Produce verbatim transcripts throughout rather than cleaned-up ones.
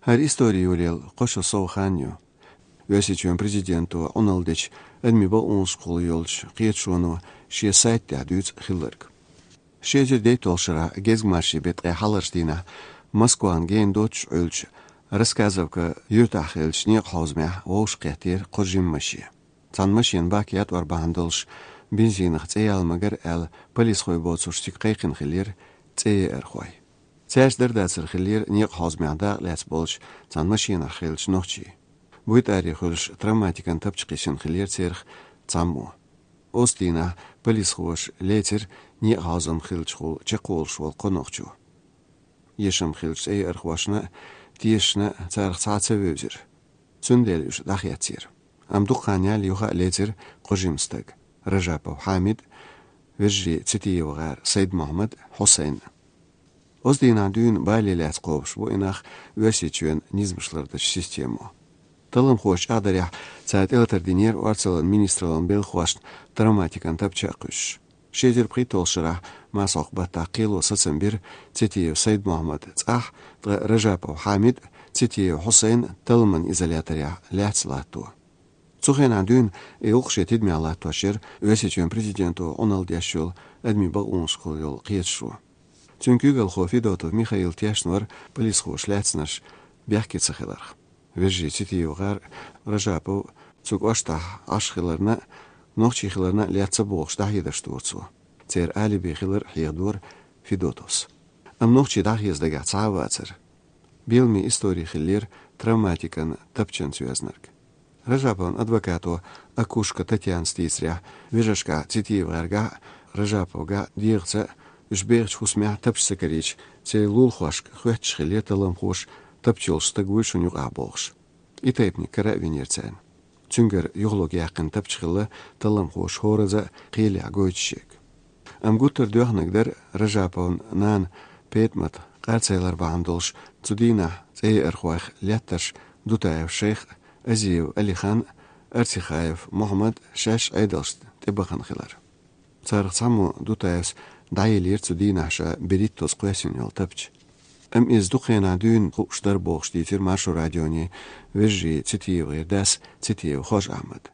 ХӀара истори йолаелла кхо шо сов хан ю. Оьрсийчоьнан президенто Ӏуналла дечу адамийн бакъонашкахула йолчу кхеташоно шен сайта тӀехь дуьйцу хилларг. Ши эзар дейтталгӀачу шарахь гезгмашин беттан ткъе хьалхарчу дийнахь Москвахна гена доццуш Ӏуьллучу Рассказовка юьртахь хиллачу некъан хьовзамехь вовшахкхеттера кхо жима машен. Цхьана машенан бак ятӀор бахьана долуш бензинах цӀе яла магар аьлла, полисхой боцурш цига кхайкхина хиллера цӀеяйархой. Цаьрца дар-дацар хиллера некъан хьовзамехь дакъалаьцна болчу цхьана машенахь хиллачу нохчийн. БуйтӀаре хуьлуш травматикан тапча кхиссина хиллера царах цхьаммо. Оцу дийнахь полисхоша лецира некъан хьовзам хиллачухула чекхволуш волу кхо нохчо. Эшам хиллачу цӀеяйархошна а, тешашна а царах цхьа а ца вевзира. Цундела уьш дӀахецира. Амма дукха хан ялале юха а лецира кхо жима стаг: Ражапов Хьамид, вежарий ЦитиевгӀар Сайд-Мохьмад, Хьусайн. Оцу дийнахь дуьйна бале лаьцна кхобуш бу и нах Оьрсийчоьнан низамаш лардечу системо. Талламхоша чӀагӀдарехь, цара тӀелатар динера орцаллин министраллин белхахошна травматикан тапча а кхуьссуш. Ши эзар пхийтталгӀачу шарахь Масхьокх-Баттахь кхело сацам бира Цитиев Сайд-Мохьмад цӀахь, ткъа Ражапов Хьамид а, Цитиев Хьусайн а талламан изоляторехь лаьцна латто. Цу хенахь дуьйна и гӀуллакх шен тидамехь латтош яра Оьрсийчоьнан президенто Ӏуналла деш йолу адамийн бакъонашкахула йолу кхеташо. Цуьнан куьйгалхо Федотов Михаил тешна вара полисхоша лаьцнарш бехке ца хиларх. Вежарий ЦитиевгӀар а, Ражапов а цу кӀоштахь Ӏаш хиларна а, нохчий хиларна а летта ца богӀуш дӀахьедарш дора цо. Церан алиби хилар хьехадора Федотовс. Амма нохчий дӀахеза дагахь цхьа а вацара. Беламе истори хиллера травматикан тапчанца йоьзнарг. Ражаповн адвокато Акушко Татьянас дийцарехь, вежаршкахь, ЦитиевгӀаьргахь а, Ражаповгахь а дегӀаца а, уьш бехачу хӀусамехь а тапча ца карийча, церан лулахошка хоьттуш хиллера талламхоша тапча йолуш стаг вуй шуна юкъахь бохуш. И тайпаниг кара а винера царна. Цуьнгара юхалург яьккхина тапча хилла талламхоша хӀоразза а кхелехь гойту шега. Амма гуттар а доьхнарг дара Ражаповн нана ПетӀамат къарцайлар бахьана долуш цу дийнахь цӀеяйархойх леттарш Дутаев Шайх а, Азиев Алихан а, Арцихаев Мохьмад а шаьш Ӏедалшна тӀебахана хилар. Царах цхьаммо, Дутаевс, дӀаелира цу дийнахь ша берхӀиттазза кхоьссина йолу тапча. Амма иза дукха хенахь дуьйна хууш дара бохуш дийцира Маршо радионе вежарий ЦитиевгӀеран дас Цитиев Хож-Ахьмада.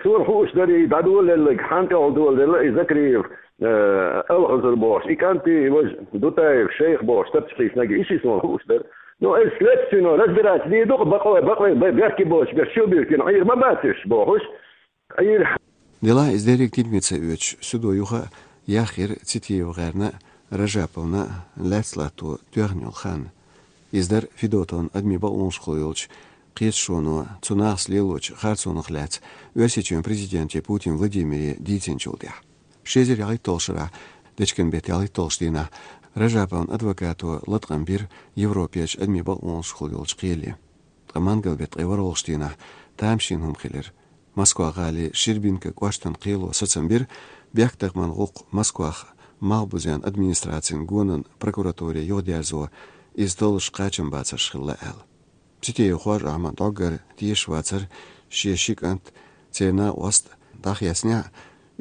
Суна хууш дара и дӀадолалелларг, хьан тӀехула долалелла и Закриев, э, Алхазар бохуш, и кӀант и важа Дутаев Шайх бохуш, тапча кхийсинарг, и ши суна хууш дара. Ну, ас следственный разбираться дийр ду-кх, бакъой, бакъой, бе-, бехке боцуш, бехке чу биркина, Ӏийр ма бац уьш бохуш. Ӏийр. Делахь иза дерриг тидаме ца оьцуш, судо юха а яхйира ЦитиевгӀерна а, Ражаповна а лаьцна латто тоьхна йолу хан. Иза дара Федотовн адамийн бакъонашкахула йолчу кхеташоно цу нахаца лелочу харцонах лаьцна Оьрсийчоьнан президенте Путин Владимире дийцинчул тӀаьхьа. Ши эзар ялхитталгӀачу шарахь дечкен беттан ялхитталгӀачу дийнахь Ражаповн адвокато латкъам бира Европерчу адамийн бакъонашкахула йолчу кхеле. Ткъа мангал беттан ткъе ворхӀалгӀачу дийнахь тамашийна хӀума хилира. Москва-гӀалин Щербинка кӀоштан кхело сацам бира, бехктакхаман гӀуллакх Москвахь малхбузен администрацин гонан прокуратуре юхадерзо, иза толлуш кхачамбацарш хилла аьлла. Цитиев Хож-Ахьмад дӀоггара тешаш вацара шен ши кӀант, церан накъост дӀахецнехь а,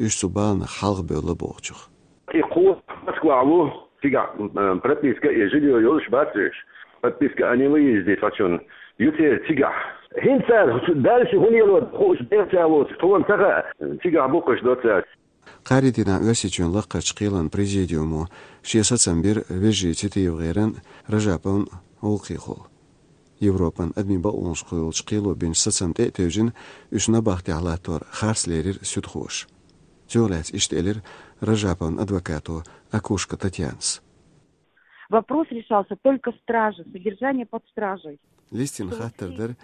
уьш цу баланах хьалхабевлла бохучух. И кхо Москвахь ву, цигахь, м, прописка и жильё йолуш бац уьш. Прописка о невыезде цхьачунна ю церан цигахь. ХӀинца цара дальше хӀун лело хууш бехача воцуш, тхуна ца хаьа, цигахь бу-кх уьш доццаьрца. Кхаарин дийнахь Оьрсийчоьнан лакхарчу кхелан президиумо шен сацам бира вежарий ЦитиевгӀеран а, Ражаповн а гӀуллакхехула. Европан адамийн бакъонашкахула йолчу кхело бинчу сацамна тӀе а тевжина, уьш набахтехь латтор харц лерира суьдхоша. Цунах лаьцна иштта элира Ражаповн адвокато Акушко Татьянас. Вопрос решался только в страже, содержание под стражей. Листина хаттар дара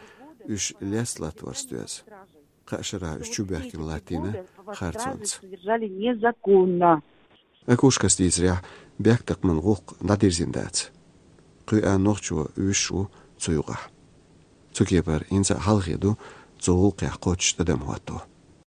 уьш лаьцна латторца доьзна. Кхаа шарахь уьш чубоьхкина латтийна харцонца. Содержали незаконно. Акушкас дийцарехь, бехктакхаман гӀуллакх дӀадирзина дац. Кхин а нохчо вуьсуш ву цу юкъахь. Цу кепара хӀинца а хьалхе ду цу гӀуллакхехь кхоччуш тӀадам хӀотто.